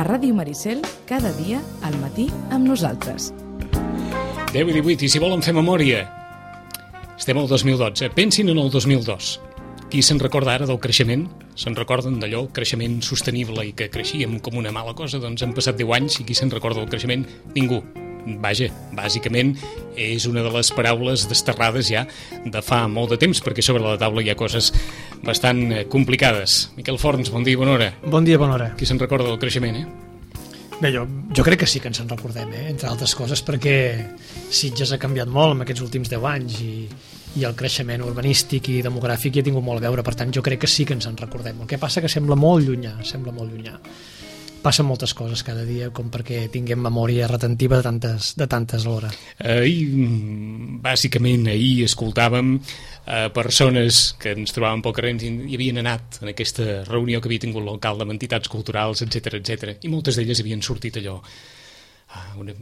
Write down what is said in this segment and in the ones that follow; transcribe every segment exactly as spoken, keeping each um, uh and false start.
Ràdio Maricel, cada dia al matí amb nosaltres. deu i divuit, i si volen fer memòria, estem al dos mil dotze. Pensin en el dos mil dos. Qui se'n recorda ara del creixement? Se'n recorden d'allò, creixement sostenible i que creixíem com una mala cosa? Doncs han passat deu anys i qui se'n recorda del creixement? Ningú. Vaja, bàsicament és una de les paraules desterrades ja de fa molt de temps, perquè sobre la taula hi ha coses bastant complicades. Miquel Forns, bon dia i bona hora. Bon dia i bona hora. Qui se'n recorda del creixement, eh? Bé, jo, jo crec que sí que ens en recordem, eh? Entre altres coses perquè Sitges ha canviat molt en aquests últims deu anys i, i el creixement urbanístic i demogràfic hi ha tingut molt a veure, per tant jo crec que sí que ens en recordem. El que passa que sembla molt llunyà, sembla molt llunyà. Passen moltes coses cada dia com perquè tinguem memòria retentiva de tantes, de tantes alhora. Ahir, bàsicament, ahir escoltàvem eh, persones que ens trobàvem pel carrer i havien anat en aquesta reunió que havia tingut l'alcalde amb entitats culturals, etcètera, etcètera, i moltes d'elles havien sortit allò una,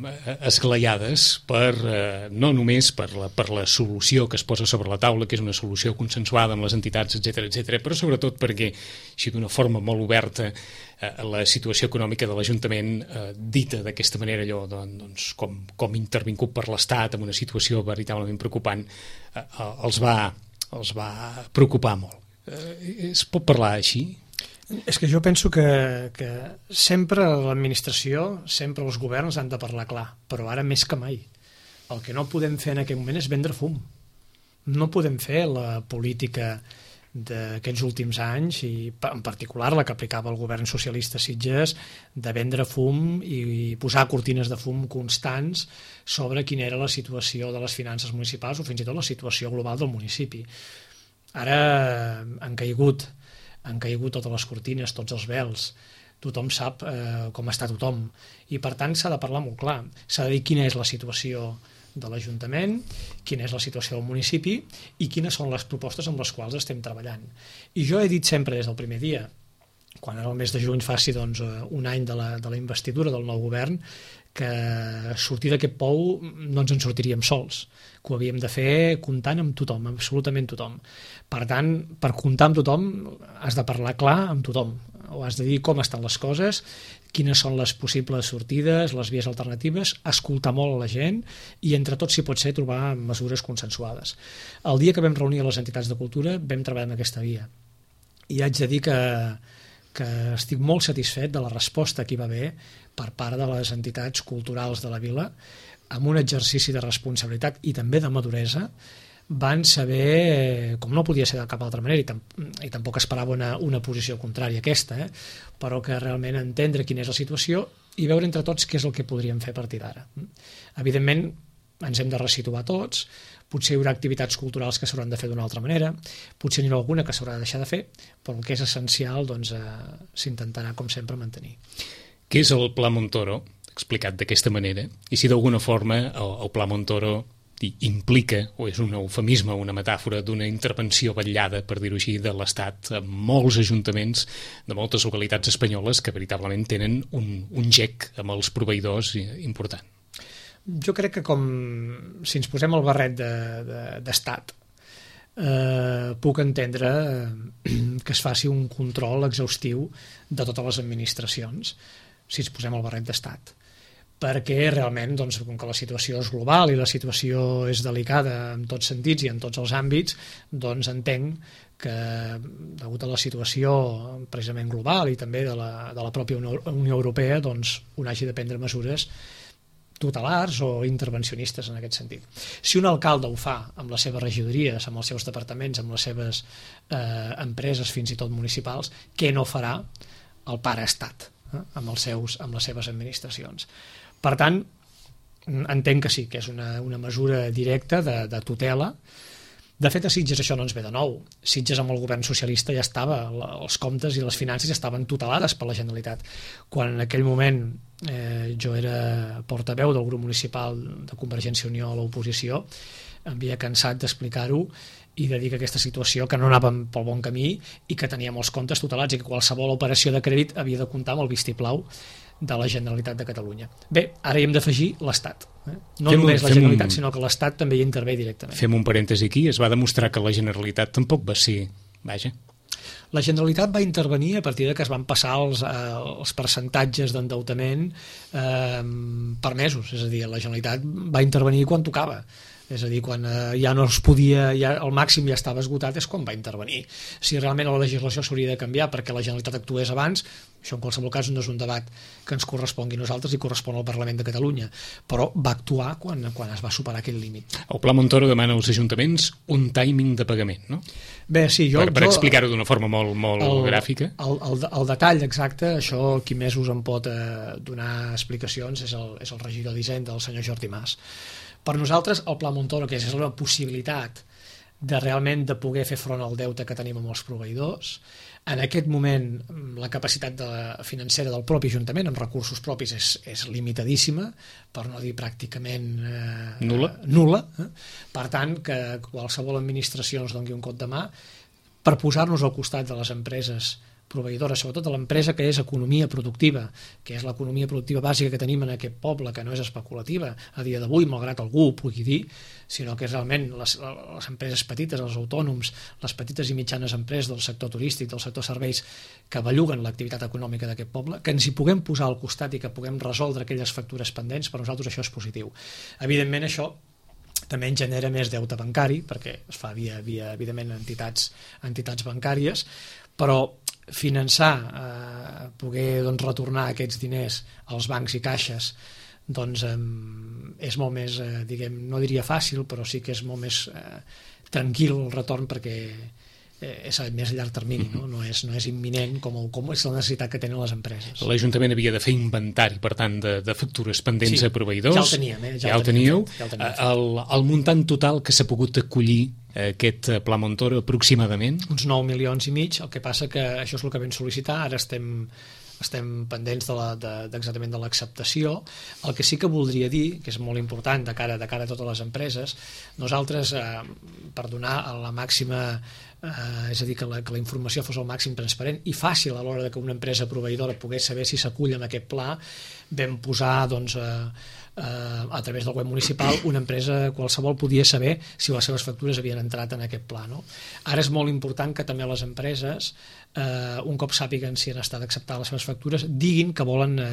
esglaiades per, eh, no només per la, per la solució que es posa sobre la taula, que és una solució consensuada amb les entitats, etcètera, etcètera, però sobretot perquè, així d'una forma molt oberta, eh, la situació econòmica de l'Ajuntament, eh, dita d'aquesta manera, allò, doncs, com, com intervingut per l'Estat en una situació veritablement preocupant, eh, els, va, els va preocupar molt. Eh, es pot parlar així? És que jo penso que, que sempre l'administració, sempre els governs han de parlar clar, però ara més que mai. El que no podem fer en aquest moment és vendre fum. No podem fer la política d'aquests últims anys, i en particular la que aplicava el govern socialista a Sitges, de vendre fum i posar cortines de fum constants sobre quina era la situació de les finances municipals o fins i tot la situació global del municipi. Ara han caigut han caigut totes les cortines, tots els vels, tothom sap eh, com està tothom, i per tant s'ha de parlar molt clar, s'ha de dir quina és la situació de l'Ajuntament, quina és la situació del municipi i quines són les propostes amb les quals estem treballant. I jo he dit sempre des del primer dia, quan era el mes de juny faci doncs, un any de la, de la investidura del nou govern, que sortir d'aquest pou no ens en sortiríem sols, que ho havíem de fer comptant amb tothom, absolutament tothom. Per tant, per comptar amb tothom has de parlar clar amb tothom, o has de dir com estan les coses, quines són les possibles sortides, les vies alternatives, escoltar molt a la gent i entre tots, si pot ser, trobar mesures consensuades. El dia que vam reunir les entitats de cultura vam treballar en aquesta via i haig de dir que que estic molt satisfet de la resposta que hi va haver per part de les entitats culturals de la vila, amb un exercici de responsabilitat i també de maduresa. Van saber, com no podia ser de cap altra manera, i, tam i tampoc esperava una, una posició contrària a aquesta, eh? però que realment entendre quina és la situació i veure entre tots què és el que podríem fer a partir d'ara. Evidentment, ens hem de resituar tots, potser hi haurà activitats culturals que s'hauran de fer d'una altra manera, potser n'hi haurà alguna que s'haurà de deixar de fer, però el que és essencial doncs, eh, s'intentarà, com sempre, mantenir. Què és el Pla Montoro, explicat d'aquesta manera, i si d'alguna forma el, el Pla Montoro implica, o és un eufemisme, una metàfora d'una intervenció vetllada, per dir-ho així, de l'Estat en molts ajuntaments de moltes localitats espanyoles que veritablement tenen un, un gec amb els proveïdors important. Jo crec que com si ens posem el barret d'estat, de, de, eh, puc entendre que es faci un control exhaustiu de totes les administracions, si ens posem el barret d'estat. Perquè realment, doncs, com que la situació és global i la situació és delicada en tots sentits i en tots els àmbits, doncs entenc que, degut a la situació precisament global i també de la, de la pròpia Unió Europea, doncs, un hagi de prendre mesures tutelars o intervencionistes en aquest sentit. Si un alcalde ho fa amb les seves regidories, amb els seus departaments, amb les seves eh, empreses fins i tot municipals, què no farà el pare estat eh, amb, els seus, amb les seves administracions? Per tant, entenc que sí, que és una, una mesura directa de, de tutela. De fet, a Sitges això no ens ve de nou. Sitges amb el govern socialista ja estava, els comptes i les finances ja estaven tutelades per la Generalitat. Quan en aquell moment eh, jo era portaveu del grup municipal de Convergència i Unió a l'oposició, em havia cansat d'explicar-ho i de dir que aquesta situació, que no anàvem pel bon camí i que teníem els comptes tutelats i que qualsevol operació de crèdit havia de comptar amb el vistiplau de la Generalitat de Catalunya. Bé, ara hi hem d'afegir l'Estat. Eh? No fem només un, la Generalitat, un... sinó que l'Estat també hi intervé directament. Fem un parèntesi aquí. Es va demostrar que la Generalitat tampoc va ser... Vaja. La Generalitat va intervenir a partir de que es van passar els, eh, els percentatges d'endeutament eh, permesos, és a dir, la Generalitat va intervenir quan tocava. És a dir, quan eh, ja no es podia, ja el màxim ja estava esgotat, és quan va intervenir. Si realment la legislació s'hauria de canviar perquè la Generalitat actués abans, això en qualsevol cas no és un debat que ens correspongui a nosaltres i correspon al Parlament de Catalunya, però va actuar quan, quan es va superar aquest límit. El Pla Montoro demana als ajuntaments un timing de pagament, no? Bé, sí, jo... Per, per jo, explicar-ho d'una forma molt, molt el, gràfica. El, el, el detall exacte, això qui més us en pot eh, donar explicacions és el, és el regidor d'Hisenda, el senyor Jordi Mas. Per nosaltres, el Pla Montoro, que és la possibilitat de realment de poder fer front al deute que tenim amb els proveïdors, en aquest moment la capacitat de, financera del propi Ajuntament amb recursos propis és, és limitadíssima, per no dir pràcticament eh, nula. nula eh? Per tant, que qualsevol administració ens doni un cop de mà per posar-nos al costat de les empreses proveïdores, sobretot de l'empresa que és economia productiva, que és l'economia productiva bàsica que tenim en aquest poble, que no és especulativa a dia d'avui, malgrat algú ho pugui dir, sinó que és realment les, les empreses petites, els autònoms, les petites i mitjanes empreses del sector turístic, del sector serveis, que belluguen l'activitat econòmica d'aquest poble, que ens hi puguem posar al costat i que puguem resoldre aquelles factures pendents, per nosaltres això és positiu. Evidentment això també en genera més deute bancari, perquè es fa via, via evidentment, entitats, entitats bancàries, però finançar, eh, poder doncs, retornar aquests diners als bancs i caixes, doncs eh, és molt més, eh, diguem, no diria fàcil, però sí que és molt més eh, tranquil el retorn perquè eh, és a més a llarg termini, no, no, és, no és imminent com, el, com és la necessitat que tenen les empreses. L'Ajuntament havia de fer inventari, per tant, de, de factures pendents sí, a proveïdors. Ja el teníem, eh? Ja, ja el teníeu. Ja el, teníem el, el muntant total que s'ha pogut acollir aquest Pla Montoro aproximadament? Uns nou milions i mig, el que passa que això és el que vam sol·licitar, ara estem, estem pendents de la, de, d'exactament de l'acceptació. El que sí que voldria dir, que és molt important de cara, de cara a totes les empreses, nosaltres, eh, per donar la màxima, eh, és a dir, que la, que la informació fos el màxim transparent i fàcil a l'hora de que una empresa proveïdora pogués saber si s'acull en aquest pla, vam posar, doncs, eh, a través del web municipal, una empresa qualsevol podia saber si les seves factures havien entrat en aquest pla, no? Ara és molt important que també les empreses, eh, un cop sàpiguen si han estat acceptades les seves factures, diguin que volen eh,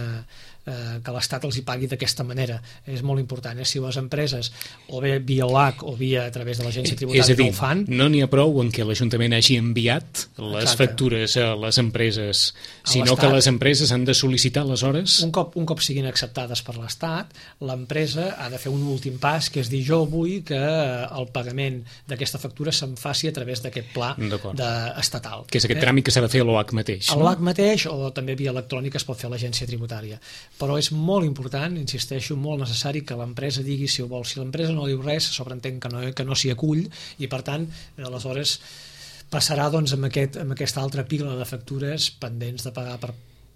eh, que l'Estat els hi pagui d'aquesta manera. És molt important, eh? Si les empreses, o bé via O L A C o via a través de l'agència tributària, és a dir, no ho fan... no n'hi ha prou en què l'Ajuntament hagi enviat les Exacte. factures a les empreses, A sinó l'Estat. que les empreses han de sol·licitar aleshores... Un cop, un cop siguin acceptades per l'Estat, l'empresa ha de fer un últim pas, que és dir, jo vull que el pagament d'aquesta factura se'n faci a través d'aquest pla de, estatal. Que és aquest eh? tràmit que s'ha de fer a l'O A C mateix. A l'O A C mateix, o també via electrònica es pot fer a l'agència tributària. Però és molt important, insisteixo, molt necessari que l'empresa digui si ho vol. Si l'empresa no diu res, sobreentén que no, que no s'hi acull, i per tant, aleshores passarà doncs, amb, aquest, amb aquesta altra pila de factures pendents de pagar per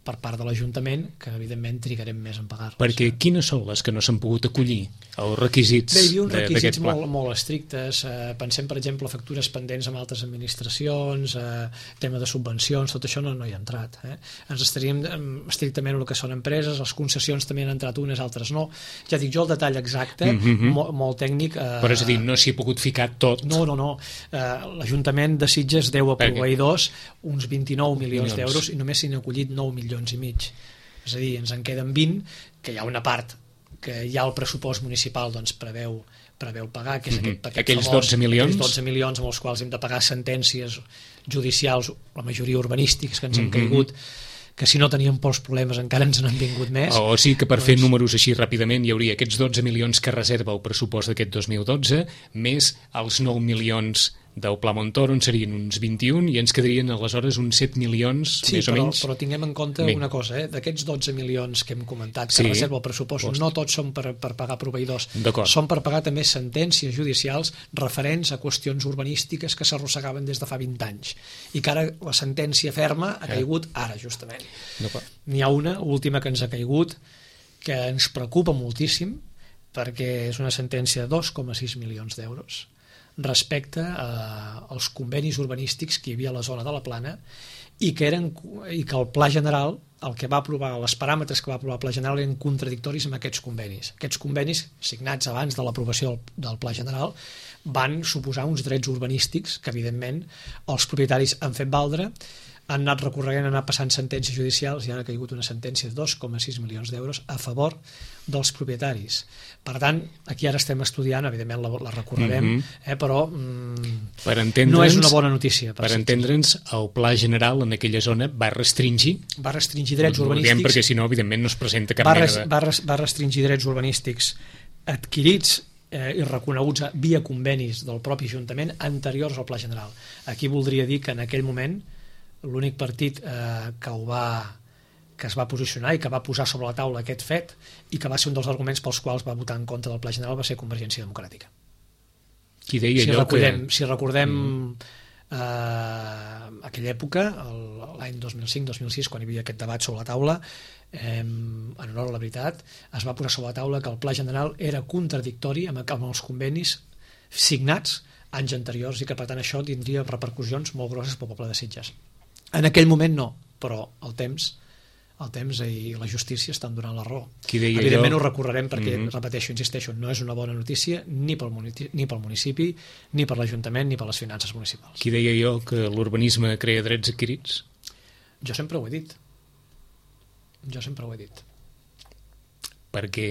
per part de l'Ajuntament, que evidentment trigarem més en pagar-les. Perquè quines són les que no s'han pogut acollir? Els requisits Bé, hi havia uns requisits pla? molt, molt estrictes. Eh, pensem, per exemple, factures pendents amb altres administracions, eh, tema de subvencions, tot això no, no hi ha entrat. Eh? Ens estaríem estrictament en el que són empreses, les concessions també han entrat unes, altres no. Ja dic jo el detall exacte, mm -hmm. molt, molt tècnic. Eh, Però és a dir, no s'hi ha pogut ficar tot? No, no, no. Eh, L'Ajuntament de Sitges deu a proveïdors uns vint-i-nou milions d'euros i només s'hi han acollit nou milions i mig. És a dir, ens en queden vint, que hi ha una part que ja el pressupost municipal doncs, preveu, preveu pagar, que és aquest, aquest aquells famós, dotze milions. aquells dotze milions amb els quals hem de pagar sentències judicials, la majoria urbanístiques que ens han caigut, que si no teníem pocs problemes encara ens n'han vingut més. O sigui que per doncs... fer números així ràpidament hi hauria aquests dotze milions que reserva el pressupost d'aquest dos mil dotze, més els nou milions del Pla Montoro, en serien uns vint-i-un, i ens quedarien aleshores uns set milions, sí, més però, o menys. però tinguem en compte Bé. una cosa, eh? D'aquests dotze milions que hem comentat, que sí, reserva el pressupost, post. no tots són per, per pagar proveïdors, són per pagar també sentències judicials referents a qüestions urbanístiques que s'arrossegaven des de fa vint anys, i que ara la sentència ferma ha caigut eh. ara, justament. N'hi ha una, última, que ens ha caigut, que ens preocupa moltíssim, perquè és una sentència de dos coma sis milions d'euros, respecte a, als convenis urbanístics que hi havia a la zona de la Plana i que, eren, i que el Pla General el que va aprovar, els paràmetres que va aprovar el Pla General eren contradictoris amb aquests convenis. Aquests convenis, signats abans de l'aprovació del, del Pla General, van suposar uns drets urbanístics que, evidentment, els propietaris han fet valdre, han anat recorregant, han anat passant sentències judicials i han caigut una sentència de dos coma sis milions d'euros a favor dels propietaris. Per tant, aquí ara estem estudiant, evidentment la, la recorrerem, mm-hmm. eh, però mm, per no és una bona notícia. Per, per entendre'ns, el Pla General en aquella zona va restringir... Va restringir drets no, urbanístics... Perquè si no, evidentment, no es presenta cap va mena res, de... Va, res, va restringir drets urbanístics adquirits eh, i reconeguts via convenis del propi Ajuntament anteriors al Pla General. Aquí voldria dir que en aquell moment l'únic partit eh, que ho va que es va posicionar i que va posar sobre la taula aquest fet i que va ser un dels arguments pels quals va votar en contra del Pla General va ser Convergència Democràtica. Qui deia si allò recordem, que... Si recordem mm. eh, aquella època, l'any dos mil cinc dos mil sis, quan hi havia aquest debat sobre la taula, eh, en honor a la veritat, es va posar sobre la taula que el Pla General era contradictori amb, amb els convenis signats anys anteriors i que per tant això tindria repercussions molt grosses pel poble de Sitges. En aquell moment no, però el temps el temps i la justícia estan donant la raó. Evidentment jo... ho recorrerem perquè, mm-hmm. repeteixo, insisteixo, no és una bona notícia ni pel, municipi, ni pel municipi, ni per l'Ajuntament, ni per les finances municipals. Qui deia jo que l'urbanisme crea drets adquirits? Jo sempre ho he dit. Jo sempre ho he dit. Perquè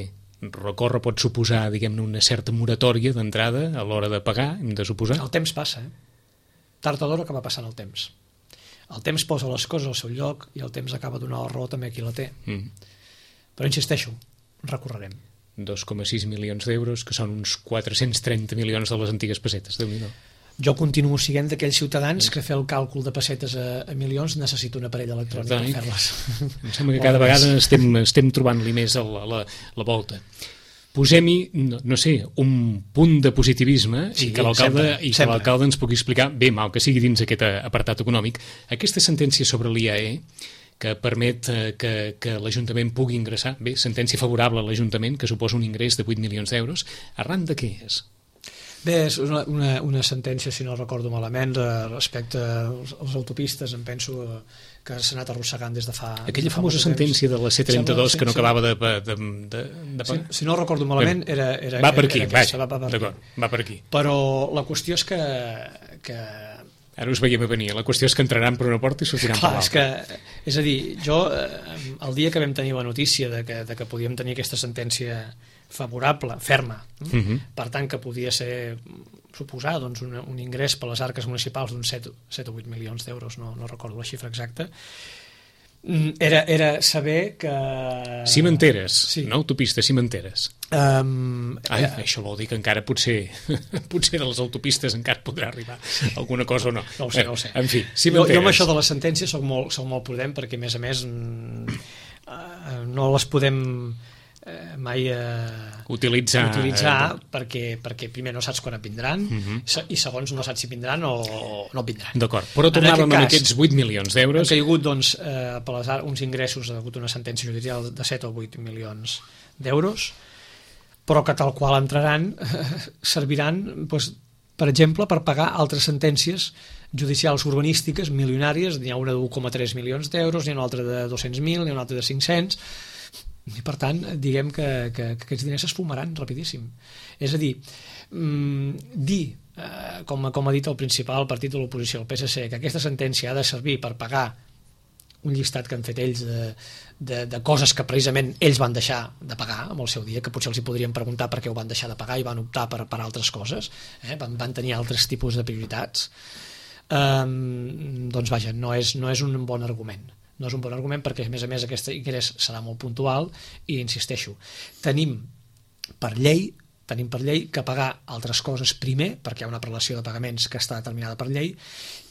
recórrer pot suposar, diguem-ne, una certa moratòria d'entrada a l'hora de pagar, hem de suposar? El temps passa, eh? Tard o d'hora acaba passant el temps. El temps posa les coses al seu lloc i el temps acaba donant la raó també a qui la té. Mm. Però insisteixo, recorrerem. dos coma sis milions d'euros, que són uns quatre-cents trenta milions de les antigues pessetes, Déu-n'hi-do. Jo continuo siguent d'aquells ciutadans que fer el càlcul de pessetes a, a milions necessita un aparell electrònic per fer-les. Em sembla que cada vegada estem, estem trobant-li més a la, la, la volta. Posem-hi, no, no sé, un punt de positivisme sí, i que l'alcalde i que l'alcalde ens pugui explicar, bé, mal que sigui dins aquest apartat econòmic, aquesta sentència sobre l'I A E que permet que, que l'Ajuntament pugui ingressar, bé, sentència favorable a l'Ajuntament, que suposa un ingrés de vuit milions d'euros, arran de què és? Bé, és una, una, una sentència, si no recordo malament, respecte als, als autopistes, em penso que s'ha anat arrossegant des de fa... Aquella fa famosa sentència de la C trenta-dos que no acabava de... de, de, de... Si, si no recordo malament, era... era va per aquí, era vaja, va, va, per d'acord, va per aquí. Però la qüestió és que... que... Ara us veiem a venir, la qüestió és que entraran per una porta i sortiran per l'altra. Que, és a dir, jo, el dia que vam tenir la notícia de que, de que podíem tenir aquesta sentència favorable, ferma, uh-huh. per tant que podia ser suposar doncs, un, un ingrés per les arques municipals d'uns set o vuit milions d'euros, no, no recordo la xifra exacta, era, era saber que... Cimenteres, sí. no autopistes, cimenteres. Um, Ai, eh, això vol dir que encara potser potser de les autopistes encara podrà arribar alguna cosa o no. No ho sé, no ho sé. En fi, cimenteres. Jo, jo amb això de la sentència soc molt, soc molt prudent perquè, a més a més, no les podem... Eh, mai eh, utilitzar, utilitzar eh, perquè, perquè primer no saps quan et vindran uh-huh. i segons no saps si vindran o no et vindran. D'acord, però tornàvem en, aquest amb aquests vuit milions d'euros. Han caigut doncs, eh, per les, uns ingressos, ha hagut una sentència judicial de set o vuit milions d'euros, però que tal qual entraran eh, serviran doncs, per exemple, per pagar altres sentències judicials urbanístiques milionàries. N'hi ha una de un coma tres milions d'euros, n'hi ha una altra de dos-cents mil, n'hi ha una altra de cinc-cents. I per tant, diguem que, que, que aquests diners s'esfumaran rapidíssim. És a dir, mmm, dir, eh, com, com ha dit el principal partit de l'oposició, el P S C, que aquesta sentència ha de servir per pagar un llistat que han fet ells de, de, de coses que precisament ells van deixar de pagar amb el seu dia, que potser els hi podrien preguntar per què ho van deixar de pagar i van optar per, per altres coses, eh? van, van tenir altres tipus de prioritats, eh, doncs vaja, no és, no és un bon argument. No és un bon argument perquè, a més a més, aquest ingrés serà molt puntual i, insisteixo, tenim per llei tenim per llei que pagar altres coses primer, perquè hi ha una prelació de pagaments que està determinada per llei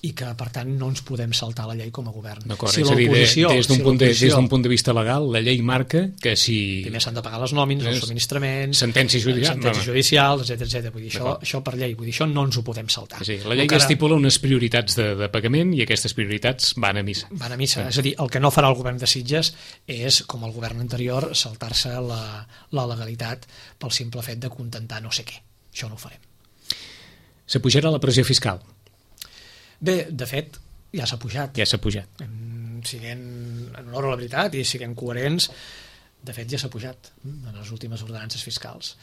i que, per tant, no ens podem saltar la llei com a govern. D'acord, si és a dir, des d'un punt, de, punt de vista legal, la llei marca que si... Primer s'han de pagar les nòmines, els subministraments... Sentències judicials. Sentències judicials, etcètera, etcètera. Vull dir, això, això per llei, vull dir, això no ens ho podem saltar. Sí, la llei que estipula unes prioritats de, de pagament i aquestes prioritats van a missa. Van a missa. Sí. És a dir, el que no farà el govern de Sitges és, com el govern anterior, saltar-se la, la legalitat pel simple fet de contentar no sé què. Això no ho farem. S'apujarà la pressió fiscal? Bé, de fet, ja s'ha pujat. Ja s'ha pujat. Siguent en honor a la veritat i siguem coherents, de fet ja s'ha pujat en les últimes ordenances fiscals.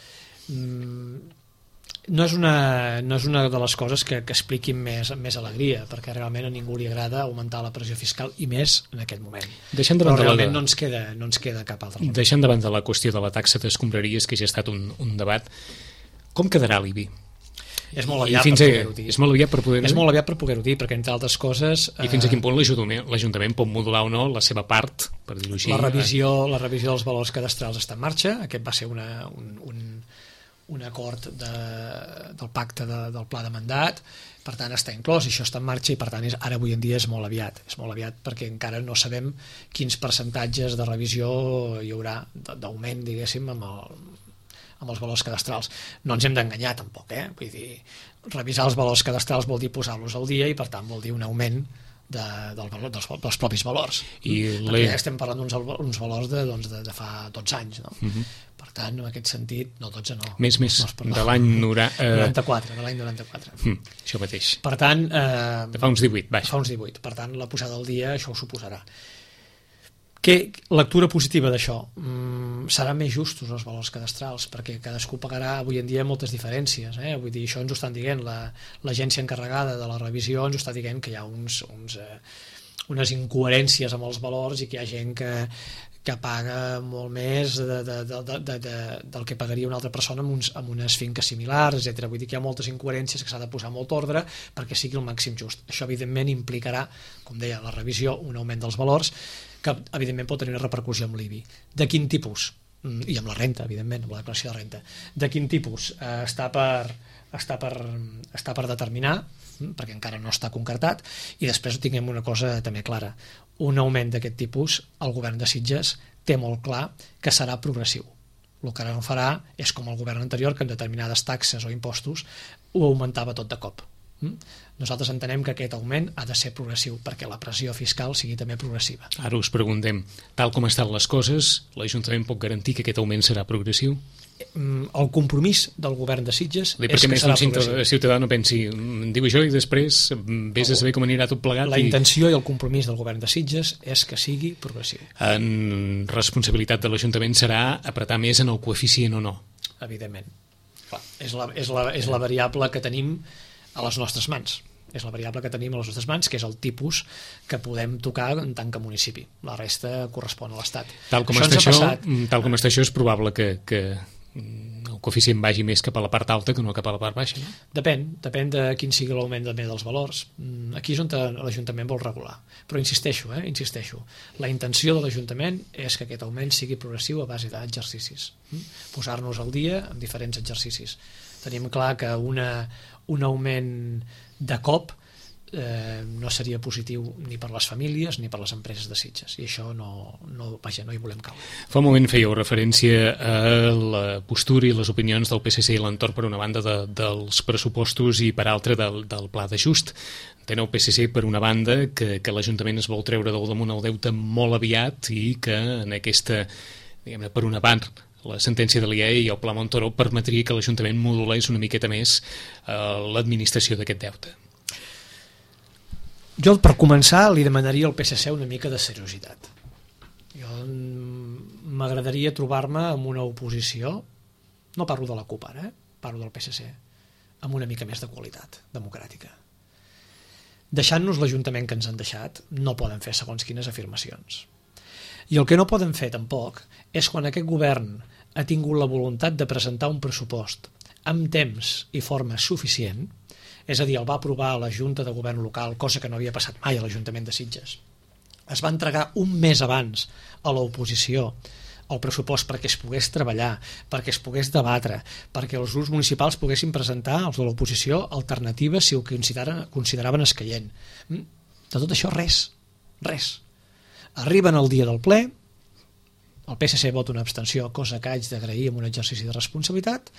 No és una, no és una de les coses que, que expliquin més, més alegria, perquè realment a ningú li agrada augmentar la pressió fiscal, i més en aquest moment. Però realment la... no, ens queda, no ens queda cap altre. Deixant davant de la qüestió de la taxa d'escombraries, que ja ha estat un, un debat, com quedarà l'I B I? És molt aviat per poder-ho dir. És molt aviat per poder-ho dir? És molt aviat per poder-ho dir, perquè entre altres coses... I fins a quin punt l'Ajuntament pot modular o no la seva part, per dir-ho així? La revisió, la revisió dels valors cadastrals està en marxa. Aquest va ser una, un, un, un acord de, del pacte de, del pla de mandat, per tant està inclòs, això està en marxa, i per tant és, ara avui en dia és molt aviat. És molt aviat perquè encara no sabem quins percentatges de revisió hi haurà d'augment, diguéssim, amb el amb els valors cadastrals. No ens hem d'enganyar tampoc, eh? Vull dir, revisar els valors cadastrals vol dir posar-los al dia, i per tant vol dir un augment de, del valor, dels, dels propis valors. I perquè ja estem parlant d'uns valors de, doncs, de, de fa dotze anys, no? Uh-huh. Per tant, en aquest sentit, no, dotze no. Més, més, no de l'any noranta-quatre, de l'any noranta-quatre. Mm, això mateix. Per tant... Eh, de fa uns divuit, vaja. Fa uns divuit. Per tant, la posada al dia, això ho suposarà. Què lectura positiva d'això? Mm, seran més justos els valors cadastrals, perquè cadascú pagarà avui en dia moltes diferències, eh? Vull dir, això ens ho estan dient, l'agència la, encarregada de la revisió ens ho està dient, que hi ha uns, uns, eh, unes incoherències amb els valors, i que hi ha gent que, que paga molt més de, de, de, de, de, de, del que pagaria una altra persona amb, uns, amb unes finques similars, etcètera. Vull dir que hi ha moltes incoherències que s'ha de posar molt ordre perquè sigui el màxim just. Això, evidentment, implicarà, com deia, la revisió, un augment dels valors, que evidentment pot tenir una repercussió amb l'I B I. De quin tipus? I amb la renta, evidentment, amb la declaració de renta. De quin tipus? Eh, està, per, està, per, està per determinar, perquè encara no està concretat, i després tinguem una cosa també clara. Un augment d'aquest tipus, el govern de Sitges té molt clar que serà progressiu. El que ara no farà és com el govern anterior, que en determinades taxes o impostos ho augmentava tot de cop. Nosaltres entenem que aquest augment ha de ser progressiu, perquè la pressió fiscal sigui també progressiva. Ara us preguntem, tal com estan les coses, l'Ajuntament pot garantir que aquest augment serà progressiu? El compromís del govern de Sitges és que serà progressiu. Perquè més un ciutadà no pensi, diu això i després vés a saber com anirà tot plegat. La intenció i el compromís del govern de Sitges és que sigui progressiu. En responsabilitat de l'Ajuntament serà apretar més en el coeficient o no? Evidentment. Clar, és la, és la, és la variable que tenim a les nostres mans. És la variable que tenim a les nostres mans, que és el tipus que podem tocar en tant que municipi. La resta correspon a l'Estat. Tal com està això, tal com està això, és probable que, que el coeficient vagi més cap a la part alta que no cap a la part baixa, no? Depèn, depèn de quin sigui l'augment també dels valors. Aquí és on l'Ajuntament vol regular. Però insisteixo, eh, insisteixo, la intenció de l'Ajuntament és que aquest augment sigui progressiu a base d'exercicis. Posar-nos al dia en diferents exercicis. Tenim clar que una, un augment de cop eh, no seria positiu ni per les famílies ni per les empreses de Sitges, i això no, no, vaja, no hi volem caure. Fa un moment fèieu referència a la postura i les opinions del P S C i l'entorn, per una banda de, dels pressupostos i per altra del, del pla d'ajust. Enteneu el P S C per una banda que, que l'Ajuntament es vol treure del damunt el deute molt aviat, i que en aquesta, diguem-ne, per una part, la sentència de l'I A E i el Pla Montoro permetria que l'Ajuntament modulés una miqueta més eh, l'administració d'aquest deute. Jo, per començar, li demanaria al P S C una mica de seriositat. Jo m'agradaria trobar-me amb una oposició, no parlo de la CUP ara, eh? Parlo del P S C, amb una mica més de qualitat democràtica. Deixant-nos l'Ajuntament que ens han deixat, no poden fer segons quines afirmacions. I el que no poden fer tampoc és quan aquest govern ha tingut la voluntat de presentar un pressupost amb temps i forma suficient, és a dir, el va aprovar a la Junta de Govern Local, cosa que no havia passat mai a l'Ajuntament de Sitges. Es va entregar un mes abans a l'oposició el pressupost perquè es pogués treballar, perquè es pogués debatre, perquè els grups municipals poguessin presentar, els de l'oposició, alternatives si ho consideraven, consideraven escaient. De tot això res, res. Arriben el dia del ple, el P S C vota una abstenció, cosa que haig d'agrair amb un exercici de responsabilitat,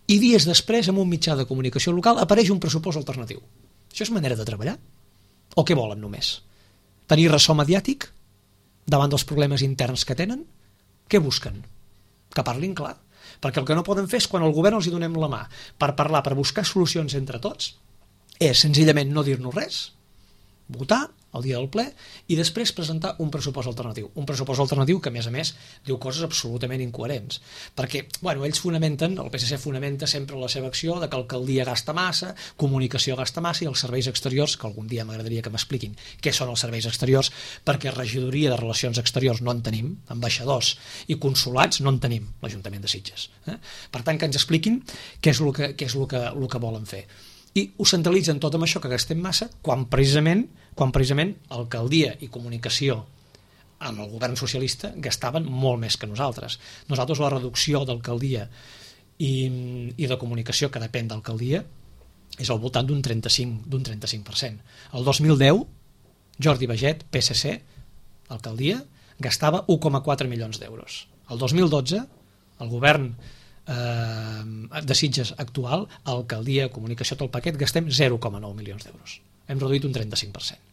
i dies després, en un mitjà de comunicació local, apareix un pressupost alternatiu. Això és manera de treballar? O què volen només? Tenir ressò mediàtic davant dels problemes interns que tenen? Què busquen? Que parlin clar. Perquè el que no poden fer és, quan al govern els hi donem la mà per parlar, per buscar solucions entre tots, és senzillament no dir-nos res, votar el dia del ple, i després presentar un pressupost alternatiu. Un pressupost alternatiu que, a més a més, diu coses absolutament incoherents. Perquè, bueno, ells fonamenten, el P S C fonamenta sempre la seva acció de que l'alcaldia gasta massa, comunicació gasta massa, i els serveis exteriors, que algun dia m'agradaria que m'expliquin què són els serveis exteriors, perquè regidoria de Relacions Exteriors no en tenim, ambaixadors i consulats no en tenim, l'Ajuntament de Sitges. Eh? Per tant, que ens expliquin què és el que, què és el que, el que volen fer. I ho centralitzen tot amb això, que gastem massa, quan precisament, quan precisament alcaldia i comunicació amb el govern socialista gastaven molt més que nosaltres. Nosaltres la reducció d'alcaldia i, i de comunicació, que depèn d'alcaldia, és al voltant d'un trenta-cinc, d'un trenta-cinc per cent. El dos mil deu, Jordi Baget, P S C, alcaldia, gastava un coma quatre milions d'euros. El dos mil dotze, el govern de Sitges actual, alcaldia, comunicació, tot el paquet, gastem zero coma nou milions d'euros. Hem reduït un trenta-cinc per cent.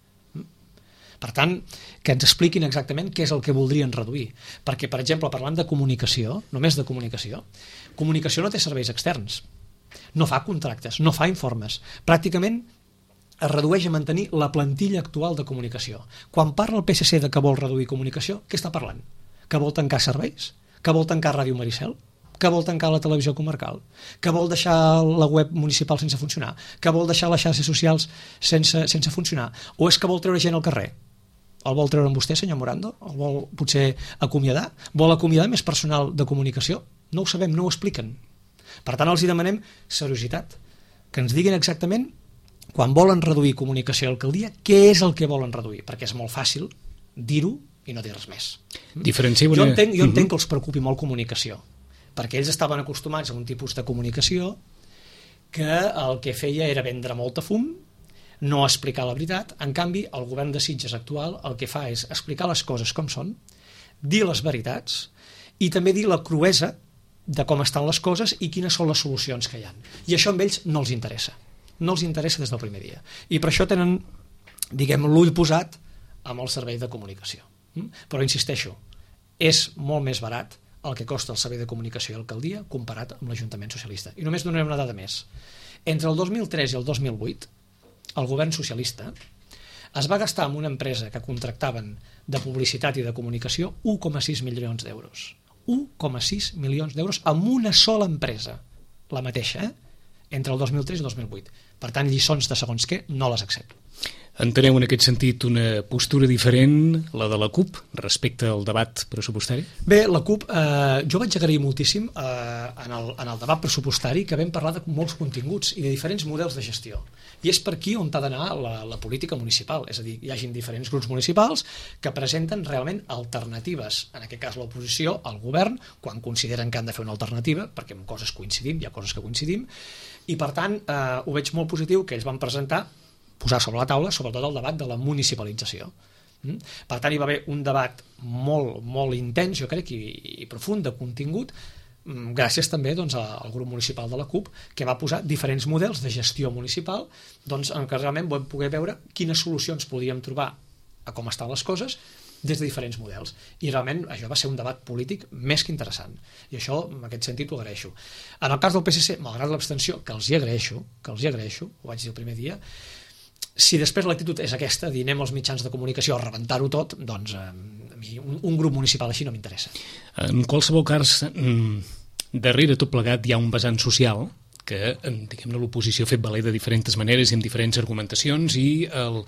Per tant, que ens expliquin exactament què és el que voldrien reduir. Perquè, per exemple, parlant de comunicació, només de comunicació, comunicació no té serveis externs, no fa contractes, no fa informes. Pràcticament es redueix a mantenir la plantilla actual de comunicació. Quan parla el P S C de que vol reduir comunicació, què està parlant? Que vol tancar serveis? Que vol tancar Ràdio Maricel? Que vol tancar la televisió comarcal, que vol deixar la web municipal sense funcionar, que vol deixar les xarxes socials sense, sense funcionar, o és que vol treure gent al carrer? El vol treure amb vostè, senyor Morando? El vol potser acomiadar? Vol acomiadar més personal de comunicació? No ho sabem, no ho expliquen. Per tant, els hi demanem seriositat, que ens diguin exactament, quan volen reduir comunicació a l'alcaldia, què és el que volen reduir, perquè és molt fàcil dir-ho i no dir res més. Diferencieu Jo una... entenc, jo entenc uh-huh. que els preocupi molt comunicació, perquè ells estaven acostumats a un tipus de comunicació que el que feia era vendre molta fum, no explicar la veritat. En canvi, el govern de Sitges actual el que fa és explicar les coses com són, dir les veritats i també dir la cruesa de com estan les coses i quines són les solucions que hi ha. I això amb ells no els interessa. No els interessa des del primer dia. I per això tenen, diguem, l'ull posat amb el servei de comunicació. Però insisteixo, és molt més barat el que costa el servei de comunicació i l'alcaldia comparat amb l'Ajuntament Socialista. I només donarem una dada més. Entre el dos mil tres i el dos mil vuit, el govern socialista es va gastar en una empresa que contractaven de publicitat i de comunicació un coma sis milions d'euros. un coma sis milions d'euros amb una sola empresa, la mateixa, eh? Entre el dos mil tres i el dos mil vuit. Per tant, lliçons de segons què no les accepto. Enteneu en aquest sentit una postura diferent, la de la CUP, respecte al debat pressupostari? Bé, la CUP, eh, jo vaig agrair moltíssim eh, en, el, en el debat pressupostari que vam parlar de molts continguts i de diferents models de gestió. I és per aquí on ha d'anar la, la política municipal, és a dir, hi hagin diferents grups municipals que presenten realment alternatives, en aquest cas l'oposició, al govern, quan consideren que han de fer una alternativa, perquè en coses coincidim, hi ha coses que coincidim, i per tant eh, ho veig molt positiu que ells van presentar, posar sobre la taula, sobretot el debat de la municipalització. Per tant, hi va haver un debat molt, molt intens, jo crec, i, i profund, de contingut, gràcies també doncs, al grup municipal de la CUP, que va posar diferents models de gestió municipal doncs, en què realment vam poder veure quines solucions podíem trobar a com estan les coses des de diferents models. I realment això va ser un debat polític més que interessant. I això, en aquest sentit, ho agraeixo. En el cas del P S C, malgrat l'abstenció, que els hi agraeixo, que els hi agraeixo, ho vaig dir el primer dia, si després l'actitud és aquesta, dir anem als mitjans de comunicació a rebentar-ho tot, doncs eh, a mi un, un grup municipal així no m'interessa. En qualsevol cas, darrere tot plegat hi ha un vessant social que, diguem-ne, l'oposició ha fet valer de diferents maneres i amb diferents argumentacions, i el,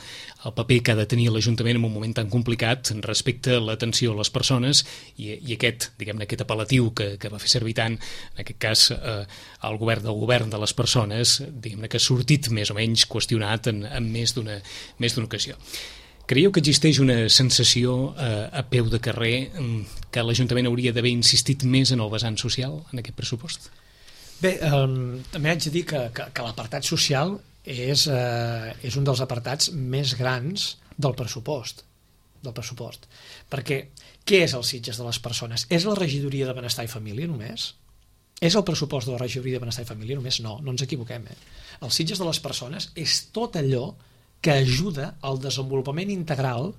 el paper que ha de tenir l'Ajuntament en un moment tan complicat respecte a l'atenció a les persones i, i aquest, diguem-ne, aquest apel·latiu que, que va fer servir tant, en aquest cas, eh, el govern del govern de les persones, diguem-ne, que ha sortit més o menys qüestionat en, en més d'una més d'una ocasió. Creieu que existeix una sensació eh, a peu de carrer que l'Ajuntament hauria d'haver insistit més en el vessant social en aquest pressupost? Bé, eh, també haig de dir que, que, que l'apartat social és, eh, és un dels apartats més grans del pressupost, del pressupost. Perquè què és el Sitges de les persones? És la regidoria de Benestar i Família només? És el pressupost de la regidoria de Benestar i Família només? No, no ens equivoquem. Eh? El Sitges de les persones és tot allò que ajuda al desenvolupament integral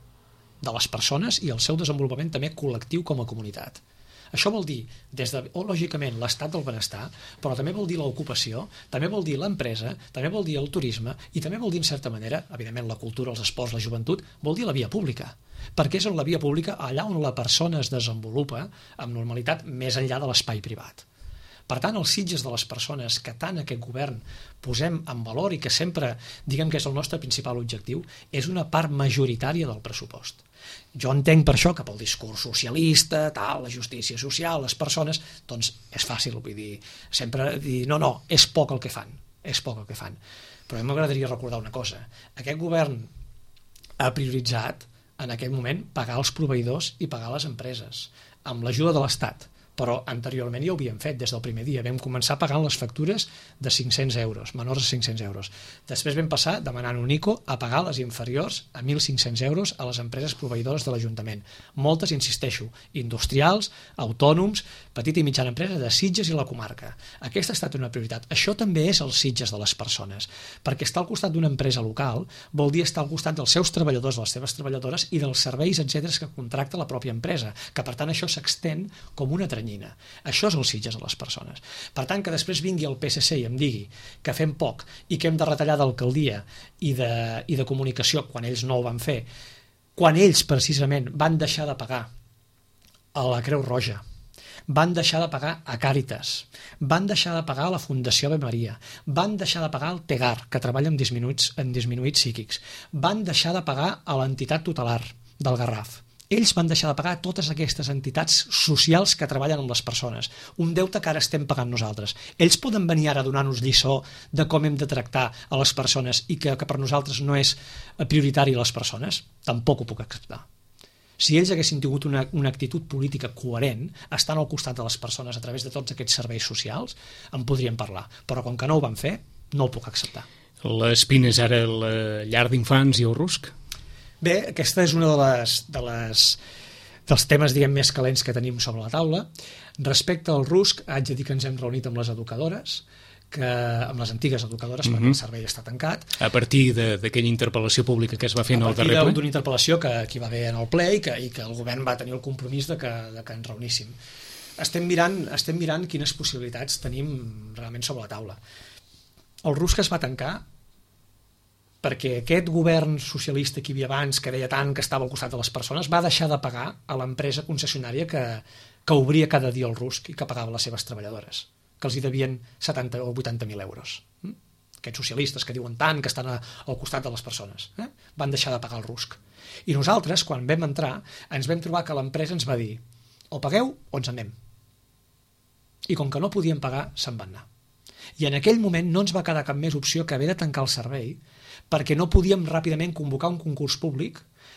de les persones i al seu desenvolupament també col·lectiu com a comunitat. Això vol dir, des de, o, lògicament, l'estat del benestar, però també vol dir l'ocupació, també vol dir l'empresa, també vol dir el turisme i també vol dir, en certa manera, evidentment, la cultura, els esports, la joventut, vol dir la via pública. Perquè és en la via pública allà on la persona es desenvolupa amb normalitat més enllà de l'espai privat. Per tant, els Sitges de les persones que tant aquest govern posem en valor i que sempre diguem que és el nostre principal objectiu, és una part majoritària del pressupost. Jo entenc per això que pel discurs socialista, tal, la justícia social, les persones, doncs és fàcil, vull dir, sempre dir, no, no, és poc el que fan, és poc el que fan. Però a mi m'agradaria recordar una cosa, aquest govern ha prioritzat en aquest moment pagar els proveïdors i pagar les empreses, amb l'ajuda de l'Estat. Però anteriorment ja ho havíem fet des del primer dia. Vam començar pagant les factures de cinc-cents euros, menors a cinc-cents euros. Després vam passar demanant un I C O a pagar les inferiors a mil cinc-cents euros a les empreses proveïdores de l'Ajuntament. Moltes, insisteixo, industrials, autònoms, petita i mitjana empresa de Sitges i la comarca. Aquesta ha estat una prioritat. Això també és els Sitges de les persones, perquè estar al costat d'una empresa local vol dir estar al costat dels seus treballadors, de les seves treballadores i dels serveis, etcètera, que contracta la pròpia empresa, que per tant això s'extén com una tranyina. Això és els Sitges a les persones. Per tant, que després vingui el P S C i em digui que fem poc i que hem de retallar d'alcaldia i de, i de comunicació quan ells no ho van fer, quan ells precisament van deixar de pagar a la Creu Roja, van deixar de pagar a Càritas, van deixar de pagar a la Fundació Ave Maria, van deixar de pagar al Tegar, que treballa amb disminuïts, en disminuïts psíquics, van deixar de pagar a l'entitat tutelar del Garraf. Ells van deixar de pagar a totes aquestes entitats socials que treballen amb les persones. Un deute que ara estem pagant nosaltres. Ells poden venir ara a donar-nos lliçó de com hem de tractar a les persones i que, que per nosaltres no és prioritari a les persones? Tampoc ho puc acceptar. Si ells haguessin tingut una, una actitud política coherent, estant al costat de les persones a través de tots aquests serveis socials, en podríem parlar. Però com que no ho van fer, no ho puc acceptar. L'Espina és ara la llar d'infants i el Rusc? Bé, aquesta és una de les, de les, dels temes diguem, més calents que tenim sobre la taula. Respecte al Rusc, haig de dir que ens hem reunit amb les educadores, que, amb les antigues educadores, mm-hmm. perquè el servei està tancat. A partir d'aquella interpel·lació pública que es va fer en el darrer ple? A partir d'una interpel·lació que, que hi va haver en el ple i que, i que el govern va tenir el compromís de que, de que ens reuníssim. Estem mirant, estem mirant quines possibilitats tenim realment sobre la taula. El Rusc es va tancar perquè aquest govern socialista que hi havia abans, que deia tant que estava al costat de les persones, va deixar de pagar a l'empresa concessionària que, que obria cada dia el Rusc i que pagava les seves treballadores, que els hi devien setanta o vuitanta mil euros. Aquests socialistes que diuen tant que estan a, al costat de les persones, eh? van deixar de pagar el Rusc. I nosaltres, quan vam entrar, ens vam trobar que l'empresa ens va dir o pagueu o ens anem. I com que no podíem pagar, se'n van anar. I en aquell moment no ens va quedar cap més opció que haver de tancar el servei perquè no podíem ràpidament convocar un concurs públic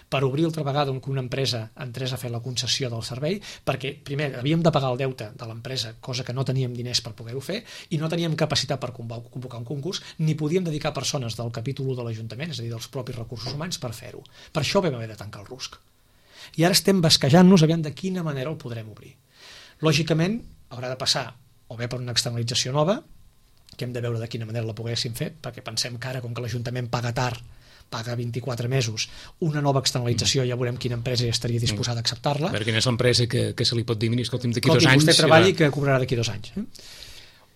per obrir altra vegada que una empresa entrés a fer la concessió del servei, perquè primer havíem de pagar el deute de l'empresa, cosa que no teníem diners per poder-ho fer, i no teníem capacitat per convocar un concurs, ni podíem dedicar persones del capítol u de l'Ajuntament, és a dir, dels propis recursos humans, per fer-ho. Per això vam haver de tancar el Rusc. I ara estem basquejant-nos aviam de quina manera el podrem obrir. Lògicament, haurà de passar o bé per una externalització nova, que hem de veure de quina manera la poguéssim fer, perquè pensem que ara, com que l'Ajuntament paga tard, paga vint-i-quatre mesos, una nova externalització, ja veurem quina empresa ja estaria disposada a acceptar-la. A veure quina és l'empresa que, que se li pot dir, mira, escolti'm, d'aquí dos anys... Escolti, vostè treballi que cobrarà d'aquí dos anys. Eh?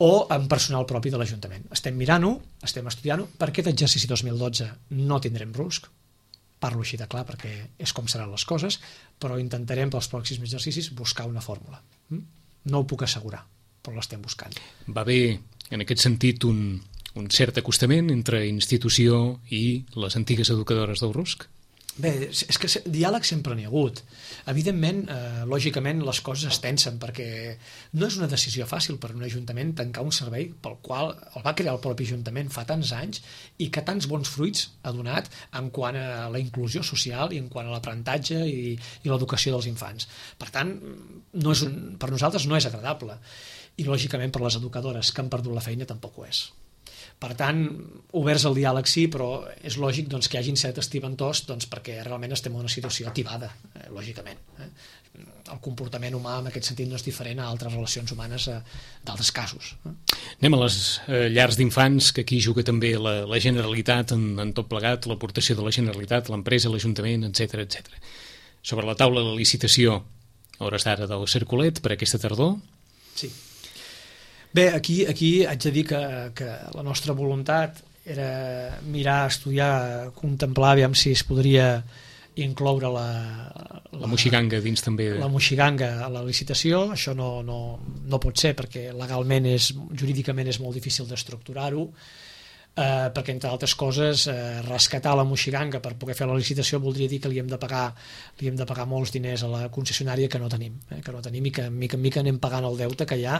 O amb personal propi de l'Ajuntament. Estem mirant-ho, estem estudiant-ho. Per aquest exercici dos mil dotze no tindrem Rusc, parlo així de clar perquè és com seran les coses, però intentarem pels pròxims exercicis buscar una fórmula. No ho puc assegurar, però l'estem buscant. Va bé, en aquest sentit, un, un cert acostament entre institució i les antigues educadores del Rusc? Bé, és que diàleg sempre n'hi ha hagut. Evidentment, eh, lògicament, les coses es tensen, perquè no és una decisió fàcil per un ajuntament tancar un servei pel qual el va crear el propi ajuntament fa tants anys i que tants bons fruits ha donat en quant a la inclusió social i en quant a l'aprenentatge i, i l'educació dels infants. Per tant, no és un, per nosaltres no és agradable. I, lògicament, per les educadores que han perdut la feina tampoc ho és. Per tant, oberts al diàleg sí, però és lògic doncs, que hi hagin certes tibantors doncs, perquè realment estem en una situació tibada, eh, lògicament. Eh? El comportament humà en aquest sentit no és diferent a altres relacions humanes eh, d'altres casos. Eh? Anem a les eh, llars d'infants, que aquí juga també la, la Generalitat en, en tot plegat, l'aportació de la Generalitat, l'empresa, l'Ajuntament, etcètera, etcètera. Sobre la taula de la licitació a hores d'ara del Cercolet per aquesta tardor. Sí. Bé, aquí, aquí haig de dir que, que la nostra voluntat era mirar, estudiar, contemplar, aviam si es podria incloure la, la, la moixiganga dins també. La moixiganga a la licitació. Això no, no, no pot ser perquè legalment, és, jurídicament és molt difícil d'estructurar-ho. Eh, perquè entre altres coses eh, rescatar la moixiganga per poder fer la licitació voldria dir que li hem de pagar li hem de pagar molts diners a la concessionària que no tenim, eh, que no tenim i que mica en mica anem pagant el deute que hi ha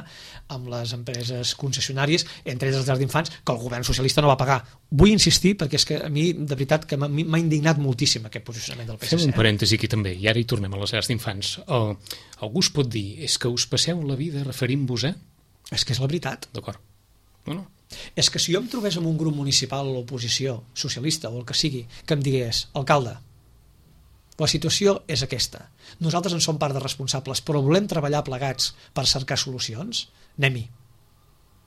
amb les empreses concessionàries, entre elles les llars d'infants, que el govern socialista no va pagar. Vull insistir perquè és que a mi de veritat que m'ha indignat moltíssim aquest posicionament del P S C. Fem un parèntesi aquí també, i ara hi tornem a les llars d'infants. Uh, algú es pot dir, és que us passeu la vida referint-vos a... És que és la veritat. D'acord. Bueno, és que si jo em trobés amb un grup municipal o l'oposició, socialista o el que sigui, que em digués, alcalde, la situació és aquesta, nosaltres en som part de responsables, però volem treballar plegats per cercar solucions, anem-hi.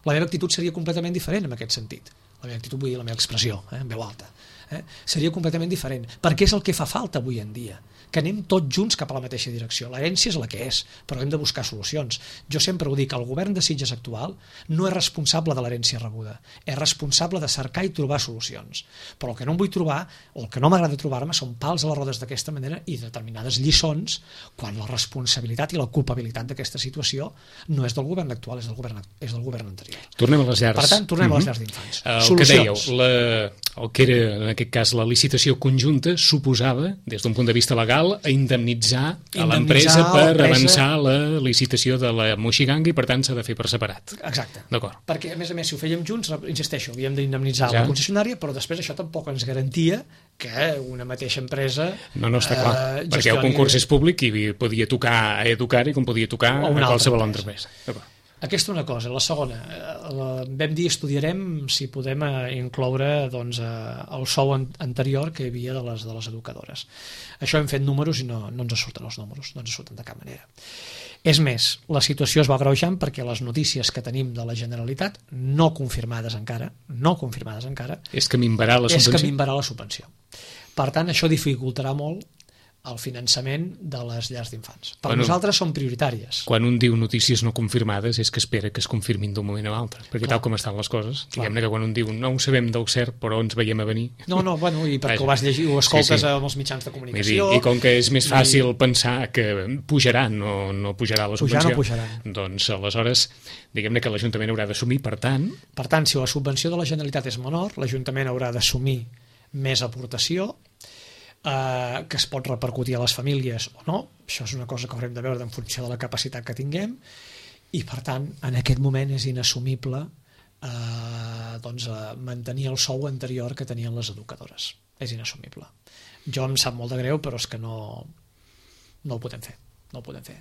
La meva actitud seria completament diferent en aquest sentit. La meva actitud, vull dir la meva expressió, eh, en veu alta. Eh? Seria completament diferent, perquè és el que fa falta avui en dia, que anem tots junts cap a la mateixa direcció. L'herència és la que és, però hem de buscar solucions. Jo sempre ho dic, el govern de Sitges actual no és responsable de l'herència rebuda, és responsable de cercar i trobar solucions. Però el que no em vull trobar, o el que no m'agrada trobar-me, són pals a les rodes d'aquesta manera i determinades lliçons quan la responsabilitat i la culpabilitat d'aquesta situació no és del govern actual, és del govern, és del govern anterior. Tornem a les llars. Per tant, tornem mm-hmm. a les llars d'infants. El Solucions. que dèieu, la, el que era en aquest cas la licitació conjunta suposava, des d'un punt de vista legal, a indemnitzar a l'empresa per avançar la licitació de la moixiganga i per tant s'ha de fer per separat. Exacte. D'acord. Perquè a més a més si ho fèiem junts, insisteixo, havíem d'indemnitzar ja. la concessionària, però després això tampoc ens garantia que una mateixa empresa no, no està clar, eh, perquè gestioni... el concurs és públic i podia tocar a Educar i com podia tocar a qualsevol altra empresa. D'acord. Aquesta una cosa. La segona, vam dir estudiarem si podem incloure doncs, el sou anterior que hi havia de les, de les educadores. Això hem fet números i no, no ens surten els números, no ens surten de cap manera. És més, la situació es va agreujant perquè les notícies que tenim de la Generalitat, no confirmades encara, no confirmades encara, és que minvarà la subvenció. És que minvarà la subvenció. Per tant, això dificultarà molt el finançament de les llars d'infants. Per bueno, nosaltres són prioritàries. Quan un diu notícies no confirmades és que espera que es confirmin d'un moment a l'altre, perquè clar. Tal com estan les coses, diguem-ne que quan un diu no ho sabem del cert però ens veiem a venir... No, no, bueno, i perquè Vaja. ho vas llegir, ho escoltes sí, sí. amb els mitjans de comunicació... I, I com que és més fàcil i... pensar que pujarà, no, no pujarà la subvenció, pujar, no pujarà. Doncs aleshores, diguem-ne que l'Ajuntament haurà d'assumir, per tant... Per tant, si la subvenció de la Generalitat és menor, l'Ajuntament haurà d'assumir més aportació, Uh, que es pot repercutir a les famílies o no, això és una cosa que haurem de veure en funció de la capacitat que tinguem i per tant en aquest moment és inassumible uh, doncs, uh, mantenir el sou anterior que tenien les educadores, és inassumible. Jo em sap molt de greu però és que no, no ho podem fer no ho podem fer.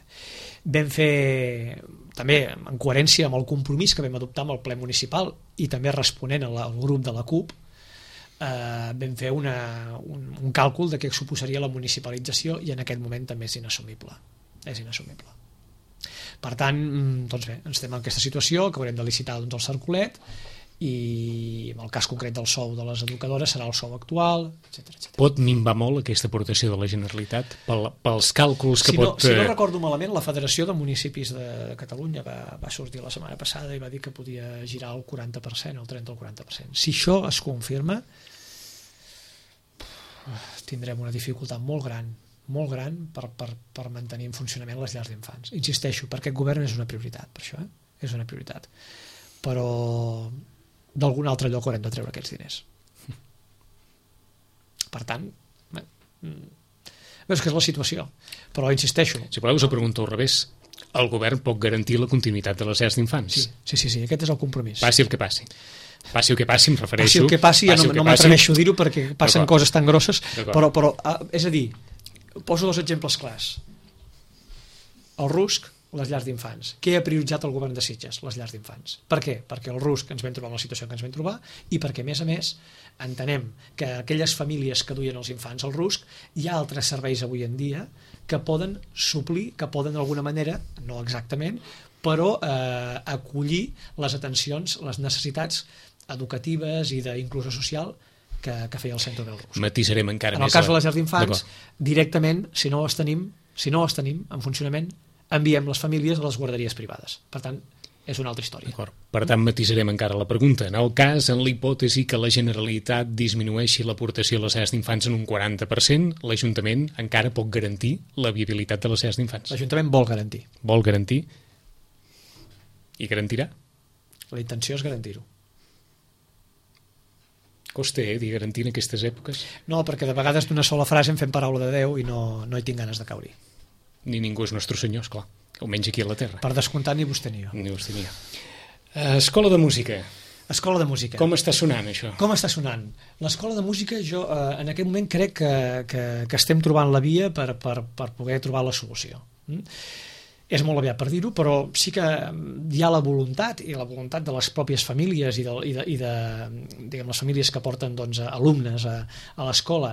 Vam fer també en coherència amb el compromís que vam adoptar amb el ple municipal i també responent al grup de la CUP. Uh, vam fer una, un, un càlcul de què suposaria la municipalització i en aquest moment també és inassumible és inassumible per tant, doncs bé, ens estem en aquesta situació que haurem de licitar doncs, el Cercolet i en el cas concret del sou de les educadores serà el sou actual, etcètera, etcètera. Pot minvar molt aquesta aportació de la Generalitat pel, pels càlculs que si no, pot... Si no recordo malament, la Federació de Municipis de Catalunya va, va sortir la setmana passada i va dir que podia girar el quaranta per cent, el trenta o el quaranta per cent. Si això es confirma tindrem una dificultat molt gran molt gran per, per, per mantenir en funcionament les llars d'infants. Insisteixo, per aquest govern és una prioritat, per això, eh? És una prioritat. Però d'algun altre lloc haurem de treure aquests diners. Per tant, bé, és que és la situació. Però insisteixo... Si voleu us ho pregunto al revés. El govern pot garantir la continuïtat de les llars d'infants? Sí, sí, sí, sí, aquest és el compromís. Passi el que passi. Passi el que passi, em refereixo... Passi el que passi, ja no, no m'atreveixo a dir-ho perquè passen coses tan grosses, però, però és a dir, poso dos exemples clars. El RUSC, les llars d'infants. Què ha prioritzat el govern de Sitges? Les llars d'infants. Per què? Perquè el RUSC ens vam trobar en la situació que ens vam trobar i perquè, a més a més, entenem que aquelles famílies que duien els infants al RUSC hi ha altres serveis avui en dia que poden suplir, que poden d'alguna manera, no exactament, però eh, acollir les atencions, les necessitats educatives i d'inclusió social que, que feia el centre del RUSC. Matisarem encara en més. En el cas de les llars d'infants, directament, si no les tenim, Si no els tenim en funcionament, enviem les famílies a les guarderies privades. Per tant, és una altra història. Per tant, matisarem encara la pregunta. En el cas, en la hipòtesi que la Generalitat disminueixi l'aportació a les llars d'infants en un quaranta per cent, l'Ajuntament encara pot garantir la viabilitat de les llars d'infants. L'Ajuntament vol garantir. Vol garantir? I garantirà? La intenció és garantir-ho. Costa, eh, dir garantir en aquestes èpoques? No, perquè de vegades d'una sola frase en fem paraula de Déu i no, no hi tinc ganes de caure-hi. Ni ningú és nostre senyor, esclar. Almenys aquí a la Terra. Per descomptat, ni vostè ni jo. Ni vostè ni jo. Escola de música. Escola de música. Com està sonant, això? Com està sonant? L'escola de música, jo eh, en aquest moment crec que, que, que estem trobant la via per, per, per poder trobar la solució. Mm? És molt aviat per dir-ho, però sí que hi ha la voluntat, i la voluntat de les pròpies famílies i de, i de, i de diguem, les famílies que porten doncs, alumnes a, a l'escola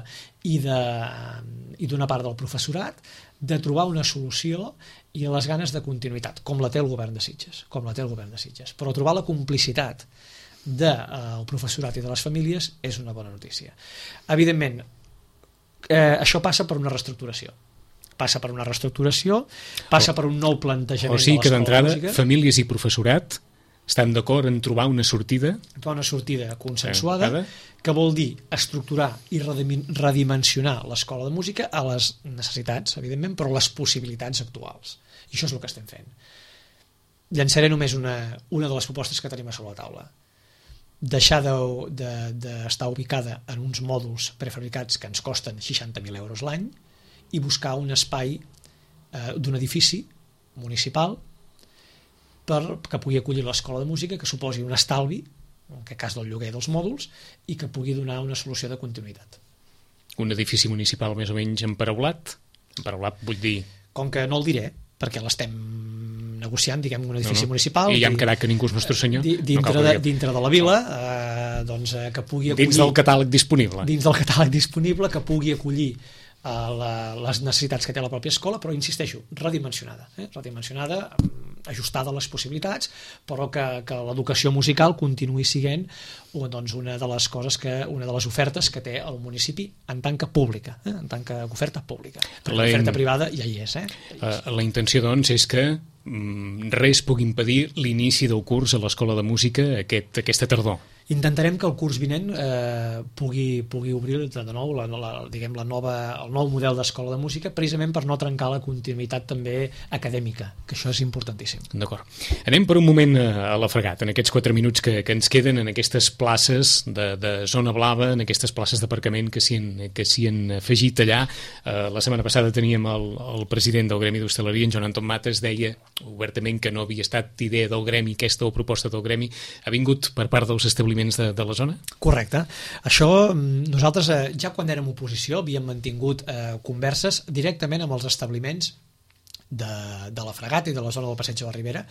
i d'una part del professorat, de trobar una solució i les ganes de continuïtat, com la té el govern de Sitges, com la té el govern de Sitges. Però trobar la complicitat del eh, professorat i de les famílies és una bona notícia. Evidentment, eh, això passa per una reestructuració. Passa per una reestructuració, passa per un nou plantejament o sigui que de l'escola de música. Famílies i professorat estan d'acord en trobar una sortida? Trobar una sortida consensuada, eh, que vol dir estructurar i redimensionar l'escola de música a les necessitats, evidentment, però a les possibilitats actuals. I això és el que estem fent. Llançaré només una, una de les propostes que tenim a sobre la taula. Deixar d'estar de, de, ubicada en uns mòduls prefabricats que ens costen seixanta mil euros l'any i buscar un espai eh, d'un edifici municipal per que pugui acollir l'escola de música, que suposi un estalvi, en aquest cas del lloguer dels mòduls, i que pugui donar una solució de continuïtat. Un edifici municipal més o menys emparaulat? Emparaulat vull dir... Com que no el diré, perquè l'estem negociant, diguem, un edifici no, no. municipal... I ja hem quedat que ningú és nostre senyor. Dintre, no de, dintre de la vila, eh, doncs, que pugui acollir... Dins del catàleg disponible. Dins del catàleg disponible, que pugui acollir a la, les necessitats que té la pròpia escola, però insisteixo, redimensionada, eh? redimensionada, ajustada a les possibilitats, però que, que l'educació musical continuï sent doncs, una de les coses que, una de les ofertes que té el municipi en tant que pública, eh? en tant que oferta pública. L'oferta privada ja hi és. Eh? Ja hi és. La intenció, doncs, és que mm, res pugui impedir l'inici del curs a l'Escola de Música aquest, aquesta tardor. Intentarem que el curs vinent eh, pugui, pugui obrir de nou la, la, diguem, la nova, el nou model d'escola de música, precisament per no trencar la continuïtat també acadèmica, que això és importantíssim. D'acord. Anem per un moment a la Fregat, en aquests quatre minuts que, que ens queden, en aquestes places de, de zona blava, en aquestes places d'aparcament que s'hi han, que s'hi han afegit allà. Eh, la setmana passada teníem el, el president del Gremi d'Hostaleria, en Joan Anton Mates, deia obertament que no havia estat idea del Gremi, aquesta o proposta del Gremi, ha vingut per part dels establiments De, de la zona? Correcte. Això nosaltres eh, ja quan érem oposició havíem mantingut eh, converses directament amb els establiments de, de la Fregat i de la zona del Passeig de la Ribera.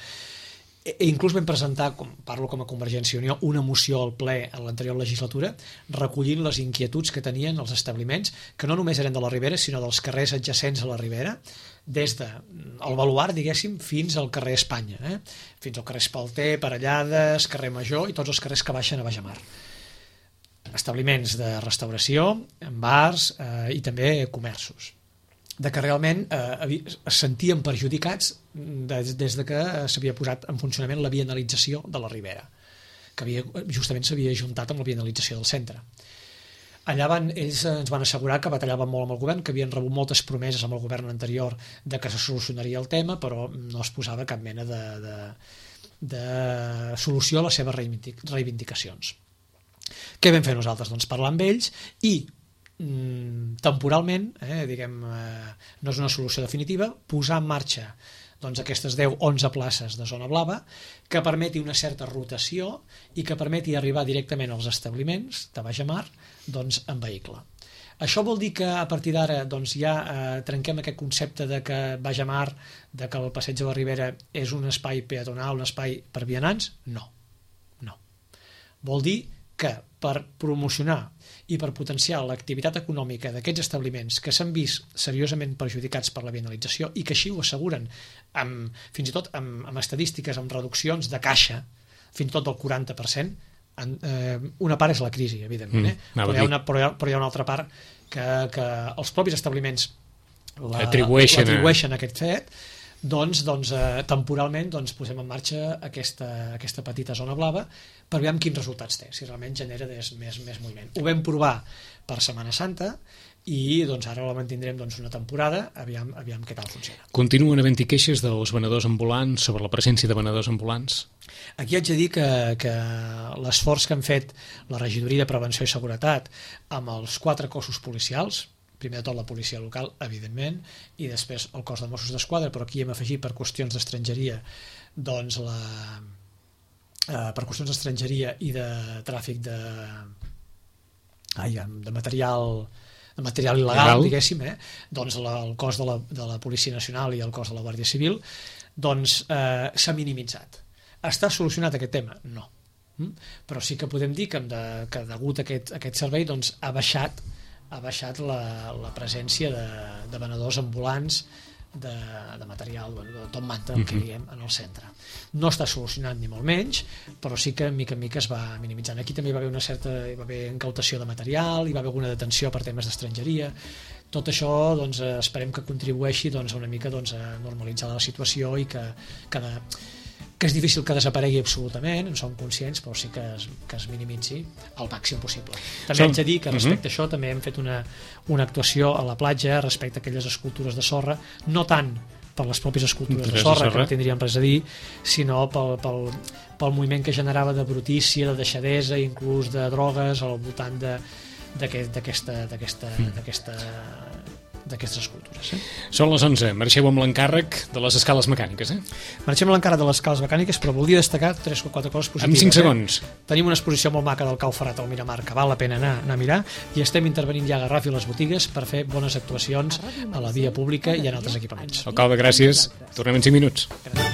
E, inclús vam presentar, com, parlo com a Convergència i Unió, una moció al ple en l'anterior legislatura recollint les inquietuds que tenien els establiments, que no només eren de la Ribera sinó dels carrers adjacents a la Ribera, des del Baluard, diguéssim, fins al carrer Espanya, eh? fins al carrer Espalter, Parellades, carrer Major i tots els carrers que baixen a Bajamar. Establiments de restauració, bars eh, i també comerços. De que realment eh, es sentien perjudicats des, des de que s'havia posat en funcionament la vianalització de la Ribera, que havia, justament s'havia ajuntat amb la vianalització del centre. Allà van, ells ens van assegurar que batallaven molt amb el govern, que havien rebut moltes promeses amb el govern anterior de que se solucionaria el tema, però no es posava cap mena de, de, de solució a les seves reivindicacions. Què vam fer nosaltres? Doncs parlar amb ells i mm, temporalment, eh, diguem, eh, no és una solució definitiva, posar en marxa doncs, aquestes deu onze places de zona blava que permeti una certa rotació i que permeti arribar directament als establiments de Bajamar doncs, en vehicle. Això vol dir que a partir d'ara doncs, ja eh, trenquem aquest concepte de que Bajamar, de que el Passeig de la Ribera és un espai peatonal, un espai per vianants? No. no. Vol dir que per promocionar i per potenciar l'activitat econòmica d'aquests establiments que s'han vist seriosament perjudicats per la vianalització i que així ho asseguren amb, fins i tot amb, amb estadístiques, amb reduccions de caixa fins i tot del quaranta per cent, en, eh, una part és la crisi, evidentment, eh? mm, però, hi ha una, però, hi ha, però hi ha una altra part que, que els propis establiments la, atribueixen, atribueixen a aquest fet, doncs, doncs eh, temporalment doncs, posem en marxa aquesta, aquesta petita zona blava per veure quins resultats té, si realment genera des, més, més moviment. Ho vam provar per Setmana Santa i doncs, ara la mantindrem doncs, una temporada, aviam, aviam què tal funciona. Continuen havent-hi queixes dels venedors ambulants sobre la presència de venedors ambulants? Aquí haig de dir que, que l'esforç que han fet la Regidoria de Prevenció i Seguretat amb els quatre cossos policials, primer de tot la policia local, evidentment, i després el cos de Mossos d'Esquadra, però aquí hem afegit per qüestions d'estrangeria doncs la, eh, per qüestions d'estrangeria i de tràfic de, ai, de material de material il·legal, Legal. diguéssim, eh? doncs la, el cos de la, de la Policia Nacional i el cos de la Guàrdia Civil, doncs eh, s'ha minimitzat. Està solucionat aquest tema? No. Mm? Però sí que podem dir que, de, que degut a aquest, a aquest servei doncs, ha baixat ha baixat la, la presència de, de venedors ambulants de, de material, de tot manta, el que diem, en el centre. No està solucionat ni molt menys, però sí que mica en mica es va minimitzant. Aquí també hi va haver una certa hi va haver incautació de material, hi va haver alguna detenció per temes d'estrangeria. Tot això doncs, esperem que contribueixi doncs, una mica doncs, a normalitzar la situació i que, que de, que és difícil que desaparegui absolutament, en som conscients, però sí que es, que es minimitzi al màxim possible. També Som... haig de dir que respecte uh -huh. a això també hem fet una, una actuació a la platja respecte a aquelles escultures de sorra, no tant per les pròpies escultures de sorra, que no tindrien res a dir, sinó pel, pel, pel moviment que generava de brutícia, de deixadesa, inclús de drogues al voltant d'aquesta d'aquesta d'aquestes escultures. Eh? Són les onze, marxeu amb l'encàrrec de les escales mecàniques. Eh? Marxem amb l'encàrrec de les escales mecàniques, però volia destacar tres o quatre coses positives. En cinc segons. Eh? Tenim una exposició molt maca del Cau Ferrat al Miramar, que val la pena anar, anar a mirar, i estem intervenint ja a Garraf i les botigues per fer bones actuacions a la via pública i en altres equipaments. Alcalde, gràcies. Tornem en cinc minuts. Gràcies.